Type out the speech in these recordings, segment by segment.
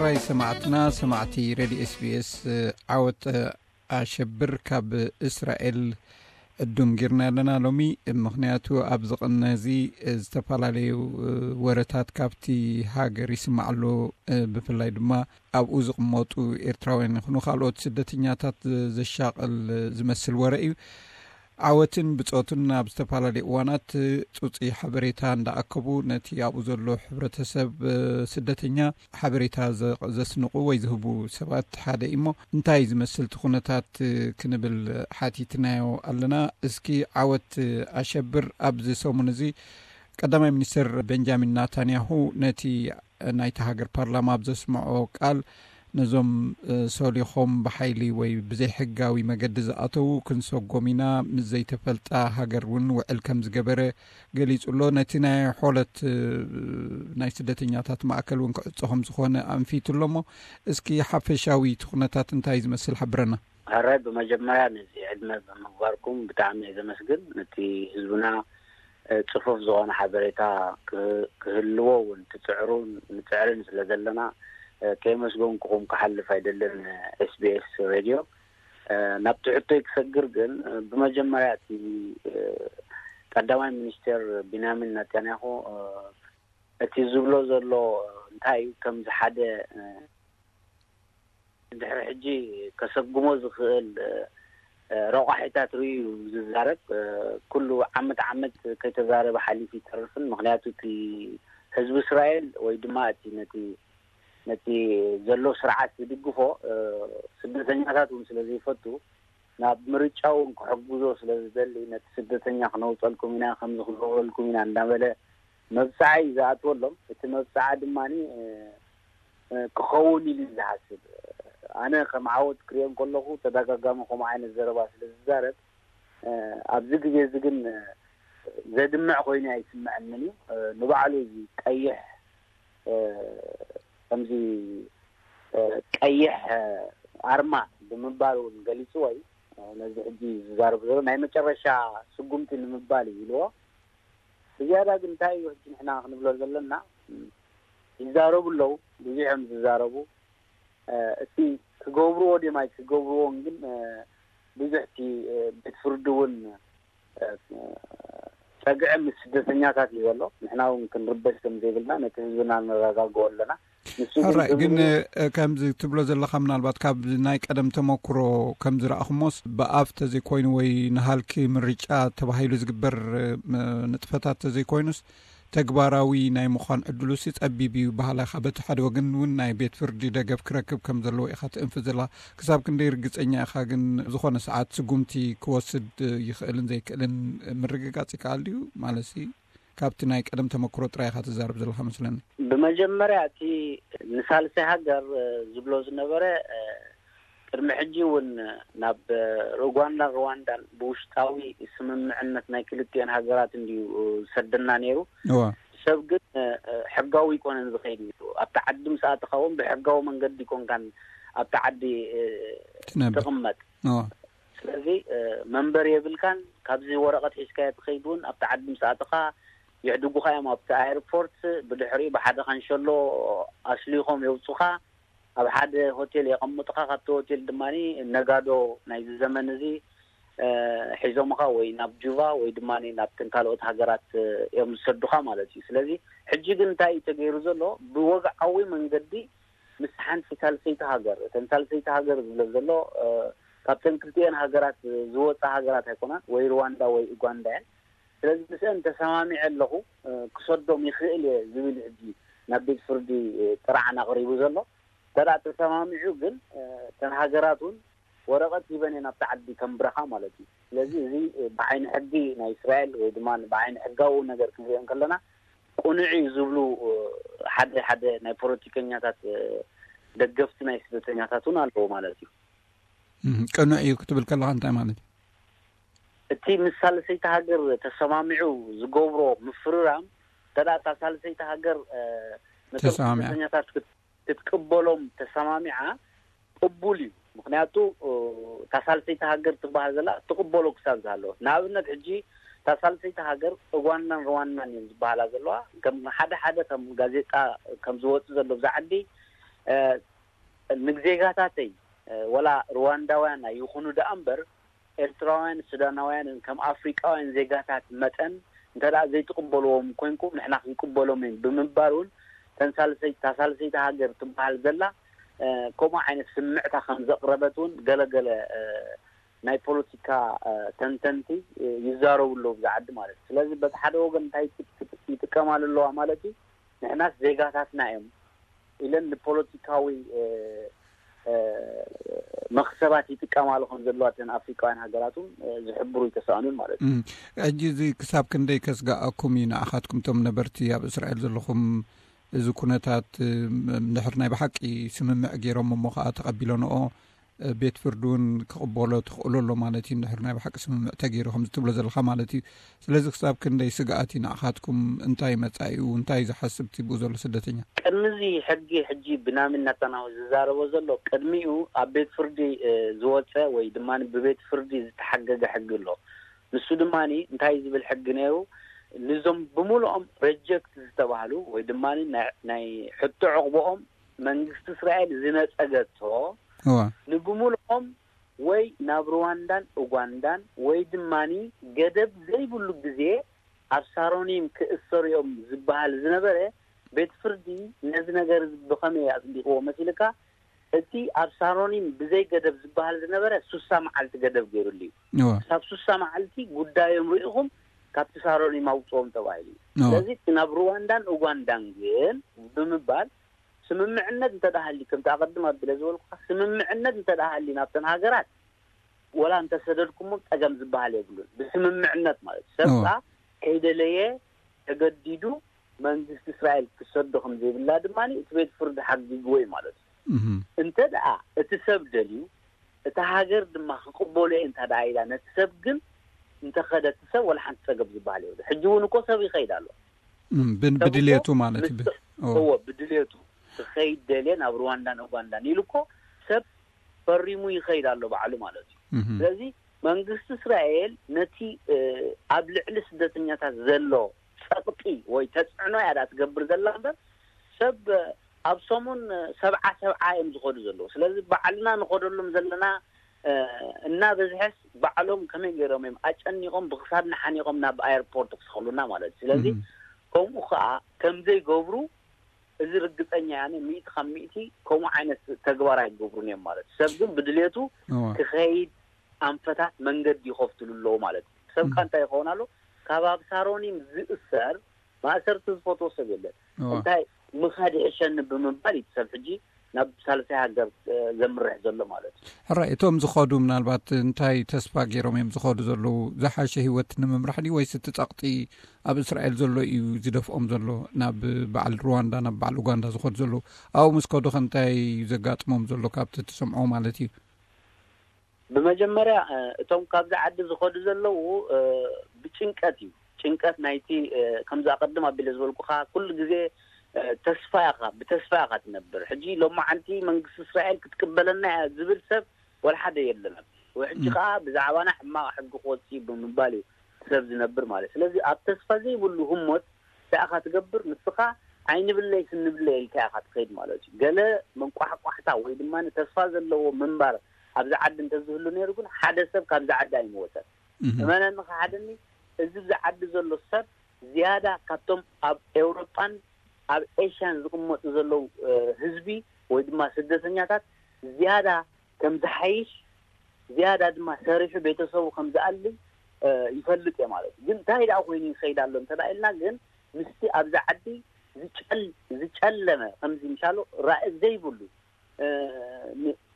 ራይ ሰማዕትና፣ ሰማዕቲ ሬድዮ ኤስቢኤስ፣ ዓወት ኣሸብር ካብ እስራኤል ዕዱም ጌርና ኣለና ሎሚ። ምኽንያቱ ኣብዚ ቅነ እዚ ዝተፈላለዩ ወረታት ካብቲ ሃገር ይስማዕ ኣሎ። ብፍላይ ድማ ኣብኡ ዝቕመጡ ኤርትራውያን ይኹኑ ካልኦት ስደተኛታት ዘሻቕል ዝመስል ወረ እዩ። ዓወትን ብጾቱን ኣብ ዝተፈላለዩ እዋናት ጹጺ ሓበሬታ እንዳኣከቡ ነቲ ኣብኡ ዘሎ ሕብረተሰብ ስደተኛ ሓበሬታ ዘ-፣ ዘስንቑ ወይ ዝህቡ ሰባት ሓደ እሞ፣ እንታይ ዝመስል እቲ ኩነታት ክንብል ሓቲትናዮ ኣለና። እስኪ ዓወት ኣሸብር፣ ኣብዚ ሰሙን እዚ ቀዳማይ ሚኒስትር ቤንጃሚን ናታንያሁ ነቲ ናይቲ ሃገር ፓርላማ ኣብ ዘስምዖ ቃል፣ ነዞም፣ እ፣ ሶሊኾም ብሓይሊ ወይ ብዘይሕጋዊ መገዲ ዝኣተዉ ክንሰጎም ኢና፣ ምስ ዘይተፈልጣ ሃገር እውን ውዕል ከም ዝገበረ ገሊጹ ኣሎ። ነቲ ናይ ሖለት፣ እ፣ ናይ ስደተኛታት ማእከል እውን ክዕጾ ከም ዝኾነ ኣንፊቱ ኣሎ። እሞ እስኪ ሓፈሻዊ እቲ ኩነታት እንታይ ዝመስል ሓብረና። ሕራይ፣ ብመጀመርያ ነዚ ዕድመ ብምግባርኩም ብጣዕሚ እየ ዘመስግን። ነቲ ህዝብና፣ እ፣ ጽፉፍ ዝኾነ ሓበሬታ ክ-፣ ክህልዎ እውን ትጽዕሩን ንጽዕርን ስለ ዘለና፣ እ፣ ከየመስገንኩኹም ክሓልፍ ኣይደልን። ኤስቢኤስ ሬድዮ፣ እ፣ ናብቲ ሕቶይ ክሰግር ግን፣ እ፣ ብመጀመርያ እቲ፣ እ፣ ቀዳማይ ሚኒስቴር ቢንያሚን ናታንያሁ፣ እ፣ እቲ ዝብሎ ዘሎ፣ እ፣ እንታይ እዩ፣ ከምዚ ሓደ፣ እ፣ ድሕሪ ሕጂ ከሰጉሞ ዝኽእል፣ እ፣ እ፣ ረቋሒታት ርእዩ እዩ ዝዛረብ። እ፣ ኩሉ ዓመት ዓመት ከይተዛረበ ሓሊፉ ይተርፍን። ምኽንያቱ እቲ ህዝቢ እስራኤል ወይ ድማ እቲ ነቲ፣ ነቲ ዘሎ ስርዓት ዝድግፎ፣ እ፣ ስደተኛታት እውን ስለ ዘይፈቱ፣ ናብ ምርጫ እውን ክሕግዞ ስለ ዝደሊ፣ ነቲ ስደተኛ ክነውፀልኩም ኢና፣ ከምዚ ክንገብረልኩም ኢና እንዳበለ መብፅዓ እዩ ዝኣትወሎም። እቲ መብፅዓ ድማ፣ እ፣ እ፣ ክኸውን ኢሉ እዩ ዝሓስብ። ኣነ ከም ዓወት ክሪኦ እንከለኹ ተደጋጋሚ ከምኡ ዓይነት ዘረባ ስለ ዝዛረብ፣ እ፣ ኣብዚ ግዜ እዚ ግን፣ እ፣ ዘድምዕ ኮይኑ ኣይስምዐንን እዩ። እ፣ ንባዕሉ እዚ ቀይሕ፣ እ፣ ከምዚ፣ እ፣ ቀይሕ፣ እ፣ ኣርማ ብምባል እውን ገሊፅዎ እዩ። እ፣ ነዚ ሕጂ ዝዛረቡ ዘሎ ናይ መጨረሻ ስጉምቲ ንምባል እዩ ኢልዎ። ብዝያዳ ግን እንታይ እዩ ሕጂ ንሕና ክንብሎ ዘለና? ይዛረቡ ኣለዉ፣ ብዙሕ እዮም ዝዛረቡ። እ፣ እስቲ ክገብርዎ ድዮም ኣይክገብርዎን ግን፣ እ፣ ብዙሕ እቲ፣ እ፣ ቤት ፍርዲ እውን፣ እ፣ ጸግዒ ምስ ስደተኛታት እዩ ዘሎ። ንሕና እውን ክንርበሽ ከም ዘይብልና ነቲ ህዝብና ነረጋግኦ ኣለና። ንሱ ግን ሕራይ፣ ግን፣ ዝብል እ፣ ከምዚ ትብሎ ዘለኻ ምናልባት ካብ ናይ ቀደም ተመክሮ ከም ዝረኣኹሞስ ብኣፍ ተዘይኮይኑ ወይ ንሃልኪ ምርጫ ተባሂሉ ዝግበር፣ እ፣ ም-፣ ንጥፈታት ተዘይኮይኑስ ተግባራዊ ናይ ምዃን ዕድሉሲ ጸቢብ እዩ በሃላይ ኢኻ። በቲ ሓደ ወገን እውን ናይ ቤት ፍርዲ ደገፍ ክረክብ ከም ዘለዎ ኢኻ ትእንፍት ዘለኻ። ክሳብ ክንደይ ርግጸኛ ኢኻ ግን ዝኾነ ሰዓት ስጉምቲ ክወስድ ይኽእልን ዘይክእልን ምርግጋጽ ይከኣል ድዩ? ማለትሲ ካብቲ ናይ ቀደም ተመክሮ ጥራይ ኢኻ ትዛረብ ዘለኻ መስለኒ። ብመጀመርያ እቲ ንሳልሳይ ሃገር፣ እ፣ ዝብሎ ዝነበረ፣ እ፣ ቅድሚ ሕጂ እውን ናብ ኡጋንዳን ሩዋንዳን ብውሽጣዊ ስምምዕነት ናይ ክልቲኤን ሃገራት እንድዩ ዝሰደና ነይሩ። እዋ። ሰብ ግን፣ እ፣ ሕጋዊ ኣይኮነን ዝኸይድ ነይሩ። ኣብቲ ዓዲ ምስ ኣተኻ እውን ብሕጋዊ መንገዲ ኣይኮንካን ኣብቲ ዓዲ፣ እ፣ ትነብር። ትቕመጥ። እዋ። ስለዚ፣ እ፣ መንበሪ የብልካን። ካብዚ ወረቐት ሒዝካዮ ትኸይድ እውን ኣብቲ ዓዲ ምስ ኣተኻ የዕድጉኻ እዮም ኣብቲ ኣየርፖርት። ብድሕሪኡ ብሓደ ካንሸሎ ኣስሊኾም የውጹኻ። ኣብ ሓደ ሆቴል የቐምጡኻ። ካብቲ ሆቴል ድማ ነጋዶ ናይዚ ዘመን እዚ፣ እ፣ ሒዞምኻ ወይ ናብ ጁቫ ወይ ድማ ናብተን ካልኦት ሃገራት፣ እ፣ እዮም ዝሰዱኻ ማለት እዩ። ስለዚ ሕጂ ግን እንታይ እዩ ተገይሩ ዘሎ? ብወግዓዊ መንገዲ ምስ ሓንቲ ሳልሰይቲ ሃገር፣ እተን ሳልሰይቲ ሃገር ዝብሎ ዘሎ፣ እ፣ ካብተን ክልቲኤን ሃገራት ዝወፃ ሃገራት ኣይኮናን፣ ወይ ሩዋንዳ ወይ ኡጋንዳ እየን። ስለዚ ምስአን ተሰማሚዐ ኣለኹ፣ እ፣ ክሰዶም ይኽእል እየ ዝብል ሕጂ ናብ ቤት ፍርዲ፣ እ፣ ጥርዓን ኣቕሪቡ ዘሎ። እንተ ደኣ ተሰማሚዑ ግን፣ እ፣ እተን ሃገራት እውን ወረቐት ሂበን እየን ኣብቲ ዓዲ ከንብረኻ ማለት እዩ። ስለዚ እዚ፣ እ፣ ብዓይኒ ሕጊ ናይ እስራኤል ወይ ድማ ብዓይኒ ሕጋዊ ነገር ክንሪኦ እንከለና ቅኑዕ እዩ ዝብሉ፣ እ፣ ሓደ ሓደ ናይ ፖለቲከኛታት፣ እ፣ ደገፍቲ ናይ ስደተኛታት እውን ኣለዉ ማለት እዩ። እም፣ ቅኑዕ እዩ ክትብል ከለኻ እንታይ ማለት እዩ? እቲ ምስ ሳልሰይቲ ሃገር ተሰማሚዑ ዝገብሮ ምፍርራም፣ እንተ ደኣ እታ ሳልሰይቲ ሃገር፣ እ፣ ነቶም ተሰማሚዓ። ስደተኛታት ክት-፣ ክትቅበሎም ተሰማሚዓ፣ ቅቡል እዩ። ምኽንያቱ፣ እ፣ እታ ሳልሰይቲ ሃገር ትበሃል ዘላ ትቕበሎ ክሳብ ዝሃለወት። ንኣብነት፣ ሕጂ እታ ሳልሰይቲ ሃገር ኡጋንዳን ሩዋንዳን እየን ዝበሃላ ዘለዋ። ከም ሓደ ሓደ ከም ጋዜጣ ከም ዝወጽእ ዘሎ ብዛ ዓዲ፣ ንዜጋታተይ ወላ ሩዋንዳውያን ኣይኹኑ ደኣ እምበር፣ ኤርትራውያን ሱዳናውያንን ከም ኣፍሪቃውያን ዜጋታት መጠን እንተ ደኣ ዘይትቕበልዎም ኮይንኩም ንሕና ክንቅበሎም እዩ ብምባል እውን ተንሳልሰይ ታሳልሰይቲ ሃገር ትበሃል ዘላ ከምኡ ዓይነት ስምዕታ ከም ዘቕረበት እውን ገለገለ ናይ ፖለቲካ ተንተንቲ ይዛረቡ ኣለዉ ብዛ ዓዲ ማለት እዩ። ስለዚ በቲ ሓደ ወገን እንታይ ይጥቀማሉ ኣለዋ ማለት እዩ፣ ንሕናስ ዜጋታትና እዮም ኢለን ንፖለቲካዊ መኽሰባት ይጥቀማሉ ከም ዘለዋ እተን ኣፍሪቃውያን ሃገራት እውን ዝሕብሩ ይተሳእኑን ማለት እዩ። ሕጂ እዚ ክሳብ ክንደይ ከስጋኣኩም እዩ ንኣኻትኩም እቶም ነበርቲ ኣብ እስራኤል ዘለኹም? እዚ ኩነታት ድሕር ናይ ብሓቂ ስምምዕ ገይሮም እሞ ከዓ ተቐቢለንኦ ቤት ፍርዲ እውን ክቕበሎ ትኽእሉ ኣሎ ማለት እዩ። እንድሕር ናይ ብሓቂ ስምምዕ ተገይሩ ከምዚ ትብሎ ዘለካ ማለት እዩ። ስለዚ ክሳብ ክንደይ ስግኣት እዩ ንኣኻትኩም? እንታይ መጻኢኡ እንታይ ዝሓስብ እቲ ብኡ ዘሎ ስደተኛ? ቅድሚ እዚ ሕጊ ሕጂ ብናሚ ናታናሁ ዝዛረቦ ዘሎ ቅድሚኡ ኣብ ቤት ፍርዲ ዝወፀ ወይ ድማ ብቤት ፍርዲ ዝተሓገገ ሕጊ ኣሎ። ንሱ ድማ እንታይ ዝብል ሕጊ ነይሩ? ንዞም ብምሉኦም ሬጀክት ዝተባህሉ ወይ ድማ ናይ ሕቶ ዕቕብኦም መንግስቲ እስራኤል ዝነጸገቶ ንብምልኦም ወይ ናብ ሩዋንዳን ኡጋንዳን ወይ ድማ ገደብ ዘይብሉ ግዜ ኣብ ሳሮኒም ክእሰሩ እዮም ዝበሃል ዝነበረ ቤት ፍርዲ ነዚ ነገር ብኸመይ ኣጽዲቕዎ መሲልካ? እቲ ኣብ ሳሮኒም ብዘይ ገደብ ዝበሃል ዝነበረ ሱሳ መዓልቲ ገደብ ገይሩሉ እዩ። ክሳብ ሱሳ መዓልቲ ጉዳዮም ርኢኹም ካብቲ ሳሮኒም ኣውፅኦም ተባሂሉ እዩ። ስለዚ እቲ ናብ ሩዋንዳን ኡጋንዳን ግን ብምባል ስምምዕነት እንተዳሃሊ ከምቲ ኣቐድም ኣቢለ ዝበልኩካ ስምምዕነት እንተዳሃሊ ናብተን ሃገራት ወላ እንተሰደድኩሞ ጸገም ዝበሃል የብሉን። ብስምምዕነት ማለት ሰብ ከይደለየ ተገዲዱ መንግስቲ እስራኤል ክሰዶ ከም ዘይብላ ድማ እቲ ቤት ፍርዲ ሓጊግዎ እዩ ማለት እዩ። እንተ ደኣ እቲ ሰብ ደልዩ እታ ሃገር ድማ ክቕበሎ እየ እንታ ደኣ ኢላ ነቲ ሰብ ግን እንተኸደ እቲ ሰብ ወላ ሓንቲ ጸገም ዝበሃል የብሉ። ሕጂ እውን እኮ ሰብ ይኸይድ ኣሎ። ብድልየቱ ማለት እዩ። እዎ ብድልየቱ ክኸይድ ደልየ ናብ ሩዋንዳን ኡጋንዳን ኢሉ እኮ ሰብ ፈሪሙ ይኸይድ ኣሎ ባዕሉ ማለት እዩ። ስለዚ መንግስቲ እስራኤል ነቲ ኣብ ልዕሊ ስደተኛታት ዘሎ ጸቕጢ ወይ ተጽዕኖ እያ ዳ ትገብር ዘላ እምበር ሰብ ኣብ ሰሙን ሰብዓ ሰብዓ እዮም ዝኸዱ ዘለዉ። ስለዚ ባዕልና ንኸደሎም ዘለና እና በዝሐስ ባዕሎም ከመይ ገይሮም እዮም ኣጨኒቖም ብክሳድና ሓኒቖም ናብ ኣየርፖርት ክስኸሉና ማለት እዩ። ስለዚ ከምኡ ከዓ ከምዘይገብሩ እዚ ርግፀኛ ያነ ሚእቲ ካብ ሚእቲ ከምኡ ዓይነት ተግባር ኣይገብሩን እዮም ማለት እዩ። ሰብ ግን ብድሌቱ ክኸይድ ኣንፈታት መንገዲ ይኸፍትሉ ኣለዉ ማለት እዩ። ሰብ ካ እንታይ ይኸውን ኣሎ? ካብ ኣብ ሳሮኒም ዝእሰር ማእሰርቲ ዝፈትዎ ሰብ የለን። እንታይ ምኻድ ይሕሸኒ ብምባል እዩ ሰብ ሕጂ ናብ ሳልሳይ ሃገር ዘምርሕ ዘሎ ማለት እዩ። ሕራይ እቶም ዝኸዱ ምናልባት እንታይ ተስፋ ገይሮም እዮም ዝኸዱ ዘለዉ? ዝሓሸ ህይወት ንምምራሕ ድዩ ወይስ እቲ ጸቕጢ ኣብ እስራኤል ዘሎ እዩ ዝደፍኦም ዘሎ ናብ በዓል ሩዋንዳ ናብ በዓል ኡጋንዳ ዝኸዱ ዘለዉ? ኣብኡ ምስ ከዱ ከ እንታይ እዩ ዘጋጥሞም ዘሎ ካብቲ ትሰምዖ ማለት እዩ? ብመጀመርያ እቶም ካብዚ ዓዲ ዝኸዱ ዘለዉ ብጭንቀት እዩ። ጭንቀት ናይቲ ከምዚ ኣቐድም ኣቢለ ዝበልኩኻ ኩሉ ግዜ ተስፋ ኢኻ ብተስፋ ኢኻ ትነብር። ሕጂ ሎማዓንቲ መንግስቲ እስራኤል ክትቅበለና እያ ዝብል ሰብ ወላ ሓደ የለን። ሕጂ ከዓ ብዛዕባና ሕማቕ ሕጊ ክወፅእ እዩ ብምባል እዩ ሰብ ዝነብር ማለት። ስለዚ ኣብ ተስፋ ዘይብሉ ህሞት እንታይ ኢኻ ትገብር? ንስኻ ዓይንብለይ ስንብለይ ኢልካ ኢኻ ትኸይድ ማለት እዩ። ገለ መንቋሕቋሕታ ወይ ድማ ተስፋ ዘለዎ ምንባር ኣብዚ ዓዲ እንተዝህሉ ነይሩ ግን ሓደ ሰብ ካብዚ ዓዲ ኣይምወፀን። እመነኒ ክሓደኒ እዚ ኣብዚ ዓዲ ዘሎ ሰብ ዝያዳ ካብቶም ኣብ ኤውሮጳን ኣብ ኤሽያን ዝቕመጡ ዘለዉ ህዝቢ ወይ ድማ ስደተኛታት ዝያዳ ከም ዝሓይሽ ዝያዳ ድማ ሰሪሑ ቤተሰቡ ከም ዝኣሊ ይፈልጥ እየ ማለት እዩ። ግን እንታይ ደኣ ኮይኑ ይኸይድ ኣሎ እንተ ኢልና ግን ምስቲ ኣብዚ ዓዲ ዝጨለመ ከምዚ ምሻሎ ራእይ ዘይብሉ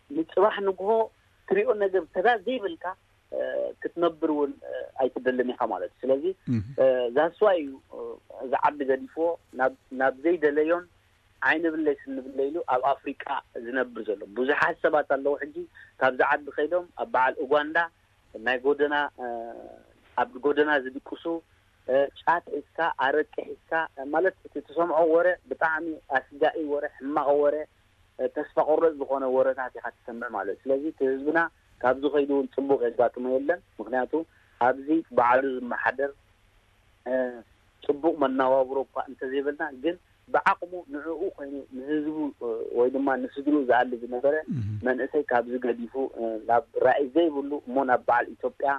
ንፅባሕ ንግሆ ትሪኦ ነገር ተዳ ዘይብልካ ክትነብር እውን ኣይትደልን ኢኻ ማለት እዩ። ስለዚ ዛስዋ እዩ እዚ ዓዲ ገዲፍዎ ናብ ዘይደለዮን ዓይኒ ብለይ ስኒ ብለይ ኢሉ ኣብ ኣፍሪቃ ዝነብር ዘሎ ብዙሓት ሰባት ኣለዉ። ሕጂ ካብዚ ዓዲ ከይዶም ኣብ በዓል ኡጋንዳ ናይ ጎደና ኣብ ጎደና ዝድቅሱ ጫት ሒዝካ ኣረቂ ሒዝካ ማለት እቲ ትሰምዖ ወረ ብጣዕሚ ኣስጋኢ ወረ ሕማቕ ወረ ተስፋ ቆረጥ ዝኾነ ወረታት ኢኻ ትሰምዕ ማለት እዩ። ስለዚ እቲ ህዝብና ካብዚ ከይዱ እውን ፅቡቅ የጋጥሞ የለን። ምክንያቱ ኣብዚ ባዕሉ ዝመሓደር ፅቡቅ መናባብሮ እኳ እንተዘይበልና ግን ብዓቕሙ ንዕኡ ኮይኑ ንህዝቡ ወይ ድማ ንስድርኡ ዝኣሊ ዝነበረ መንእሰይ ካብዚ ገዲፉ ናብ ራእይ ዘይብሉ እሞ ናብ በዓል ኢትዮጵያ፣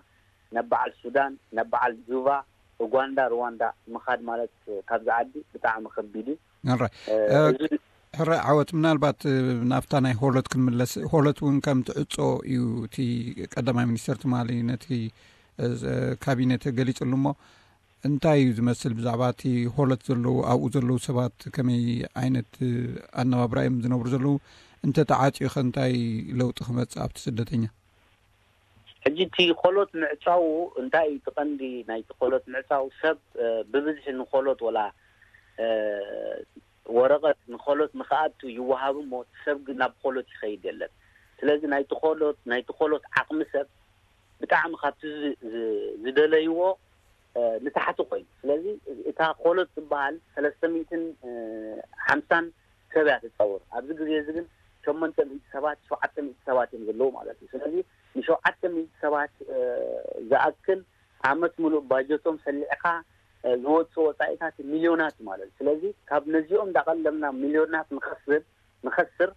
ናብ በዓል ሱዳን፣ ናብ በዓል ጁባ፣ ኡጋንዳ፣ ሩዋንዳ ምኻድ ማለት ካብዚ ዓዲ ብጣዕሚ ከቢድ እዩ። ሕራይ ዓወት፣ ምናልባት ናብታ ናይ ሆሎት ክንምለስ። ሆሎት እውን ከም ትዕጾ እዩ እቲ ቀዳማይ ሚኒስተር ትማሊ ነቲ ካቢኔት ገሊጹሉ እሞ እንታይ እዩ ዝመስል ብዛዕባ እቲ ሆሎት ዘለዉ ኣብኡ ዘለዉ ሰባት ከመይ ዓይነት ኣነባብራ እዮም ዝነብሩ ዘለዉ? እንተ ተዓጽዩ ከ እንታይ ለውጢ ክመጽእ ኣብቲ ስደተኛ? ሕጂ እቲ ሆሎት ምዕጻዉ እንታይ እዩ እቲ ቀንዲ ናይቲ ሆሎት ምዕጻው? ሰብ ብብዝሒ ንሆሎት ወላ ወረቐት ንሆሎት ንክኣቱ ይወሃብ እሞ እቲ ሰብ ግን ናብ ሆሎት ይኸይድ የለን። ስለዚ ናይቲ ሆሎት ናይቲ ሆሎት ዓቕሚ ሰብ ብጣዕሚ ካብቲ ዝደለይዎ ንታሕቲ ኮይኑ። ስለዚ እታ ሆሎት ዝበሃል ሰለስተ ሚእትን ሓምሳን ሰብ እያ ትፀውር። ኣብዚ ግዜ እዚ ግን ሸሞንተ ሚእቲ ሰባት ሸውዓተ ሚእቲ ሰባት እዮም ዘለዉ ማለት እዩ። ስለዚ ንሸውዓተ ሚእቲ ሰባት ዝኣክል ዓመት ሙሉእ ባጀቶም ሰሊዕካ ዝወፁ ወፃኢታት ሚልዮናት ማለት እዩ። ስለዚ ካብ ነዚኦም እንዳቐለምና ሚልዮናት ንኸስር ንኸስር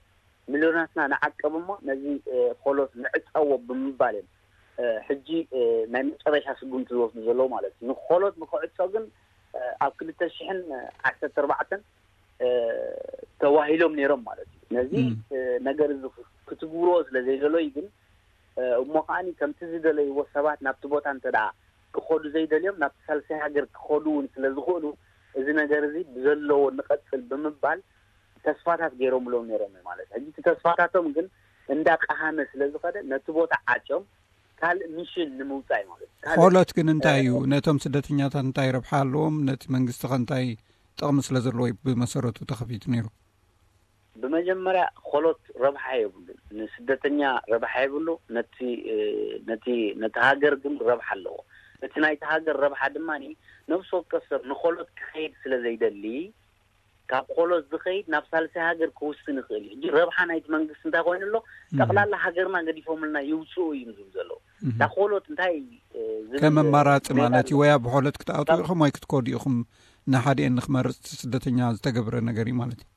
ሚልዮናትና ንዓቅብ እሞ ነዚ ሆሎት ንዕፀዎ ብምባል እዮም ሕጂ ናይ መጨረሻ ስጉምቲ ዝወስዱ ዘለዉ ማለት እዩ። ንሆሎት ንክዕፆ ግን ኣብ ክልተ ሽሕን ዓሰርተ ኣርባዕተን ተዋሂሎም ነይሮም ማለት እዩ። ነዚ ነገር እዚ ክትግብርዎ ስለ ዘይደለዩ ግን እሞ ከዓኒ ከምቲ ዝደለይዎ ሰባት ናብቲ ቦታ እንተ ደኣ ክኸዱ ዘይደልዮም ናብቲ ሳልሳይ ሃገር ክኸዱ እውን ስለ ዝኽእሉ እዚ ነገር እዚ ብዘለዎ ንቐጽል ብምባል ተስፋታት ገይሮምሎም ነይሮም ማለት እዩ። ሕጂ እቲ ተስፋታቶም ግን እንዳቀሃመ ስለ ዝኸደ ነቲ ቦታ ዓጭዮም ካልእ ሚሽን ንምውጻእ ማለት እዩ። ካልእ ሆሎት ግን እንታይ እዩ? ነቶም ስደተኛታት እንታይ ረብሓ ኣለዎም? ነቲ መንግስቲ ከ እንታይ ጥቕሚ ስለ ዘለዎ እዩ ብመሰረቱ ተኸፊቱ ነይሩ? ብመጀመርያ ሆሎት ረብሓ የብሉን። ንስደተኛ ረብሓ የብሉ፣ ነቲ ነቲ ነቲ ሃገር ግን ረብሓ ኣለዎ። እቲ ናይቲ ሃገር ረብሓ ድማ ነፍሲ ወከፍ ሰብ ንሆሎት ክኸይድ ስለ ዘይደሊ ካብ ሆሎት ዝኸይድ ናብ ሳልሳይ ሃገር ክውስን ይኽእል እዩ። ሕጂ ረብሓ ናይቲ መንግስቲ እንታይ ኮይኑ ኣሎ? ጠቕላላ ሃገርና ገዲፎምልና ይውፅኡ እዩ ዝብል ዘለዉ። እታ ሆሎት እንታይ ዝብል ከም ኣማራፂ ማለት እዩ። ወይ ኣብ ሆሎት ክትኣትዉ ኢኹም ወይ ክትከዱ ኢኹም፣ ንሓዲኤን ንክመርፅ ስደተኛ ዝተገብረ ነገር እዩ ማለት እዩ።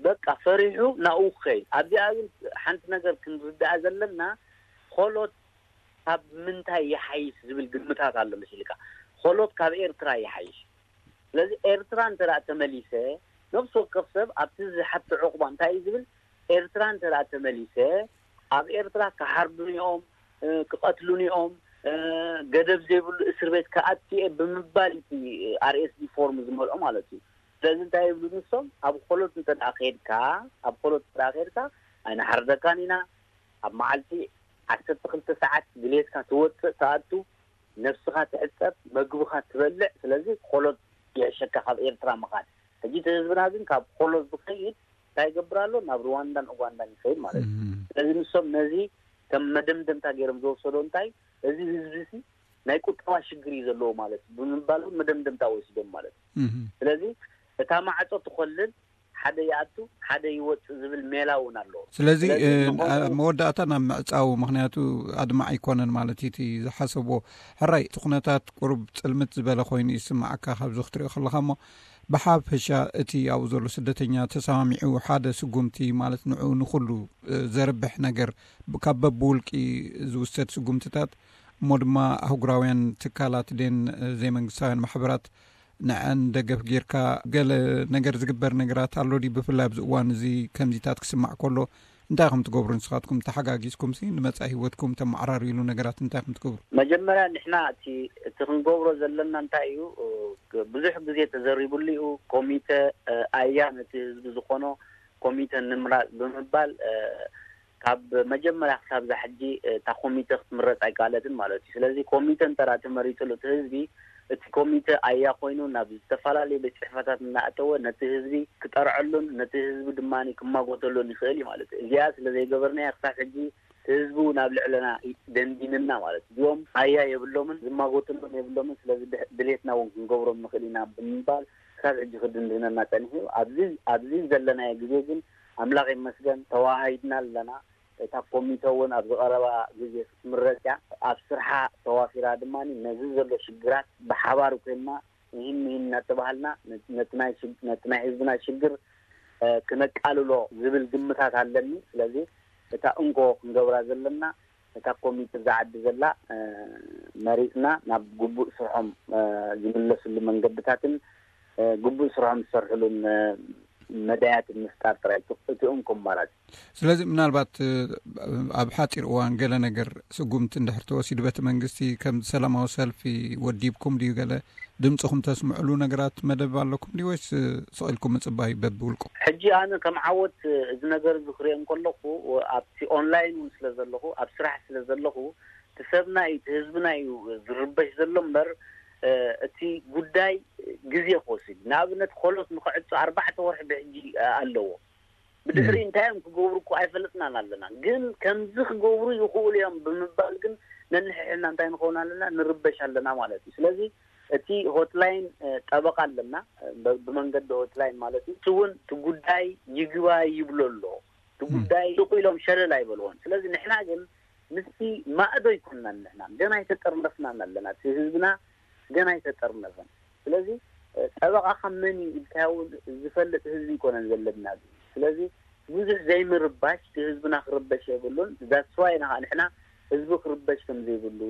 በቃ ፈሪሑ ናብኡ ክኸይድ። ኣብዚኣ ግን ሓንቲ ነገር ክንርዳእ ዘለና ሆሎት ካብ ምንታይ ይሓይሽ ዝብል ግምታት ኣሎ መሲልካ። ሆሎት ካብ ኤርትራ ይሓይሽ። ስለዚ ኤርትራ እንተ ደኣ ተመሊሰ ነፍሲ ወከፍ ሰብ ኣብቲ ዝሓቶ ዕቑባ እንታይ እዩ ዝብል? ኤርትራ እንተ ደኣ ተመሊሰ ኣብ ኤርትራ ክሓርዱኒ እዮም፣ ክቐትሉኒ እዮም፣ ገደብ ዘይብሉ እስር ቤት ክኣቱ እየ ብምባል እቲ ኣር ኤስ ዲ ፎርም ዝመልኦ ማለት እዩ። ስለዚ እንታይ ይብሉ ንሶም? ኣብ ሆሎት እንተ ደኣ ከድካ ኣብ ሆሎት እንተ ደኣ ከድካ ኣይንሓርደካን ኢና፣ ኣብ መዓልቲ ዓሰርተ ክልተ ሰዓት ድሌትካ ትወፅእ ትኣቱ፣ ነብስኻ ትሕፀብ፣ መግብኻ ትበልዕ። ስለዚ ሆሎት ይሕሸካ ካብ ኤርትራ ምኻድ። ሕጂ እቲ ህዝብና ግን ካብ ሆሎት ዝኸይድ እንታይ ይገብር ኣሎ? ናብ ሩዋንዳን ኡጋንዳን ይኸይድ ማለት እዩ። ስለዚ ንሶም ነዚ ከም መደምደምታ ገይሮም ዝወሰዶ እንታይ እዚ ህዝቢ ሲ ናይ ቁጠባ ሽግር እዩ ዘለዎ ማለት እዩ ብምባል እውን መደምደምታ ወሲዶም ማለት እዩ። ስለዚ እታ ማዕፆ ትኾልል ሓደ ይኣቱ ሓደ ይወፅእ ዝብል ሜላ እውን ኣለዎ። ስለዚ ኣብ መወዳእታ ናብ ምዕፃው ምክንያቱ ኣድማዕ ኣይኮነን ማለት እዩ እቲ ዝሓሰብዎ። ሕራይ እቲ ኩነታት ቁሩብ ፅልምት ዝበለ ኮይኑ ይስማዓካ ካብዚ ክትሪኦ ከለካ እሞ ብሓፈሻ እቲ ኣብኡ ዘሎ ስደተኛ ተሰማሚዑ ሓደ ስጉምቲ ማለት ንዑ ንኩሉ ዘርብሕ ነገር ካብ በብውልቂ ዝውሰድ ስጉምትታት እሞ ድማ ኣህጉራውያን ትካላት ደን ዘይመንግስታውያን ማሕበራት ንዐን ደገፍ ጌርካ ገለ ነገር ዝግበር ነገራት ኣሎ ድዩ? ብፍላይ ኣብዚ እዋን እዚ ከምዚታት ክስማዕ ከሎ እንታይ ከም ትገብሩ ንስኻትኩም ተሓጋጊዝኩም ሲ ንመጻኢ ህይወትኩም ተመዓራርዩሉ ነገራት እንታይ ከም ትገብሩ? መጀመርያ ንሕና እቲ እቲ ክንገብሮ ዘለና እንታይ እዩ? ብዙሕ ግዜ ተዘሪብሉ እዩ። ኮሚተ ኣያ ነቲ ህዝቢ ዝኾኖ ኮሚተ ንምራፅ ብምባል ካብ መጀመርያ ክሳብ ዛ ሕጂ እታ ኮሚተ ክትምረፅ ኣይከኣለትን ማለት እዩ። ስለዚ ኮሚተ እንተ ተመሪፅሉ እቲ ህዝቢ እቲ ኮሚተ ኣያ ኮይኑ ናብ ዝተፈላለዩ ቤት ፅሕፈታት እናእተወ ነቲ ህዝቢ ክጠርዐሉን ነቲ ህዝቢ ድማ ክማጎተሉን ይኽእል እዩ ማለት እዩ። እዚኣ ስለ ዘይገበርናያ ክሳብ ሕጂ ህዝቡ ናብ ልዕለና ደንዲንና ማለት እዩ። እዚኦም ኣያ የብሎምን፣ ዝማጎትሎም የብሎምን። ስለዚ ድሌትና እውን ክንገብሮም ንኽእል ኢና ብምባል ክሳብ ሕጂ ክድንድነና ፀኒሑ እዩ። ኣብዚ ኣብዚ ዘለናዮ ግዜ ግን ኣምላኽ ይመስገን ተዋሃሂድና ኣለና። እታ ኮሚተ እውን ኣብ ዝቐረባ ግዜ ክትምረፅ እያ። ኣብ ስርሓ ተዋፊራ ድማ ነዚ ዘሎ ሽግራት ብሓባር ኮይንና ይህን ይህን እናተባሃልና ነቲ ናይ ሽግ- ነቲ ናይ ህዝብና ሽግር እ፣ ክነቃልሎ ዝብል ግምታት ኣለኒ። ስለዚ እታ እንኮ ክንገብራ ዘለና እታ ኮሚቴ እዛ ዓዲ ዘላ እ፣ መሪፅና ናብ ግቡእ ስርሖም እ፣ ዝምለስሉ መንገድታትን እ፣ ግቡእ ስርሖም ዝሰርሕሉን እ፣ መዳያትን ምፍጣር ጥራይ እቲ እቲ እንኮ ኣማራፂ። ስለዚ ምናልባት ኣብ ሓፂር እዋን ገለ ነገር ስጉምቲ እንድሕር ተወሲዱ በቲ መንግስቲ ከም ሰላማዊ ሰልፊ ወዲብኩም ድዩ ገለ ድምፅኹም ተስምዕሉ ነገራት መደብ ኣለኩም ድዩ ወይስ ስቕ ኢልኩም ምፅባይ በብውልቁ? ሕጂ ኣነ ከም ዓወት እዚ ነገር እዚ ክሪኦ እንከለኹ ኣብቲ ኦንላይን እውን ስለ ዘለኹ ኣብ ስራሕ ስለ ዘለኹ እቲ ሰብና እዩ እቲ ህዝብና እዩ ዝርበሽ ዘሎ እምበር እቲ ጉዳይ ግዜ ክወስድ እዩ። ንኣብነት ኮሎስ ንክዕፆ ኣርባዕተ ወርሒ ብሕጂ ኣለዎ። ብድሕሪ እንታይ እዮም ክገብሩ እኮ ኣይፈለጥናን ኣለና። ግን ከምዚ ክገብሩ ይኽእሉ እዮም ብምባል ግን ነንሕሕና እንታይ ንኸውን ኣለና ንርበሽ ኣለና ማለት እዩ። ስለዚ እቲ ሆትላይን ጠበቃ ኣለና ብመንገዲ ሆትላይን ማለት እዩ። እሱ እውን እቲ ጉዳይ ይግባይ ይብሎ ኣሎ። እቲ ጉዳይ ስቕ ኢሎም ሸለል ኣይበልዎን። ስለዚ ንሕና ግን ምስቲ ማእዶ ኣይኮንናን። ንሕና ገና ኣይተጠርነፍናን ኣለና። እቲ ህዝብና ገና ኣይተጠርነፈን። ስለዚ ጠበቃኻ መን እዩ ኢልካዮ እውን ዝፈልጥ ህዝቢ ኣይኮነን ዘለና። ስለዚ ብዙሕ ዘይምርባሽ እቲ ህዝብና ክርበሽ የብሉን። That's why ኢና ከዓ ንሕና ህዝቢ ክርበሽ ከም ዘይብሉ፣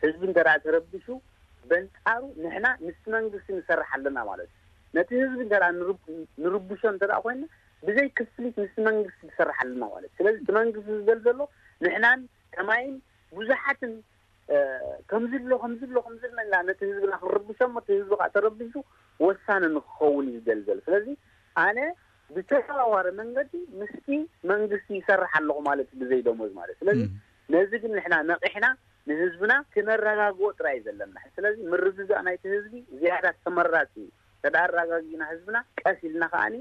ህዝቢ እንተ ደኣ ተረቢሹ በንጻሩ ንሕና ምስቲ መንግስቲ ንሰርሕ ኣለና ማለት እዩ። ነቲ ህዝቢ እንተ ደኣ ንርብ- ንርብሾ እንተ ደኣ ኮይና ብዘይ ክፍሊት ምስቲ መንግስቲ ንሰርሕ ኣለና ማለት እዩ። ስለዚ እቲ መንግስቲ ዝደል ዘሎ ንሕናን ከማይን ብዙሓትን ከምዚ ኣሎ ከምዚ ኣሎ ከምዚ ኣሎ ኢልና ነቲ ህዝብና ክንርብሾ እሞ እቲ ህዝቢ ከዓ ተረቢሹ ወሳኒ ንክኸውን እዩ ዝደልደል። ስለዚ ኣነ ብተዘዋዋሪ መንገዲ ምስቲ መንግስቲ ይሰርሕ ኣለኹ ማለት እዩ ብዘይ ደሞዝ ማለት። ስለዚ ነዚ ግን ንሕና ነቂሕና ንህዝብና ክነረጋግኦ ጥራይ እዩ ዘለና። ስለዚ ምርግጋእ ናይቲ ህዝቢ ዝያዳ ተመራፂ እዩ። ተዳ ኣረጋጊእና ህዝብና ቀስ ኢልና ከዓኒ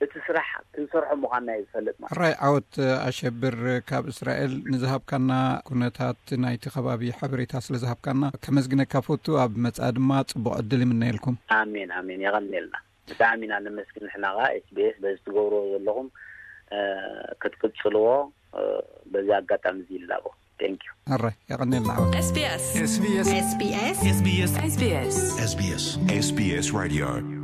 እቲ ስራሕ ክንሰርሖ ምዃንና እዩ ዝፈልጥ ማለት። ሕራይ ዓወት ኣሸብር ካብ እስራኤል ንዝሃብካና ኩነታት ናይቲ ከባቢ ሓበሬታ ስለ ዝሃብካና ከመስግነካ ፈቱ። ኣብ መጻኢ ድማ ጽቡቕ ዕድል ይምነየልኩም። ኣሜን ኣሜን የቐንየልና። ብጣዕሚ ኢና ነመስግን። ንሕና ከዓ ኤስቢኤስ በዚ ትገብርዎ ዘለኹም ክትቅጽልዎ በዚ ኣጋጣሚ እዚ ይላቦ። Thank you። ሕራይ የቐንየልና ዓወት። SBS SBS SBS SBS SBS SBS SBS SBS Radio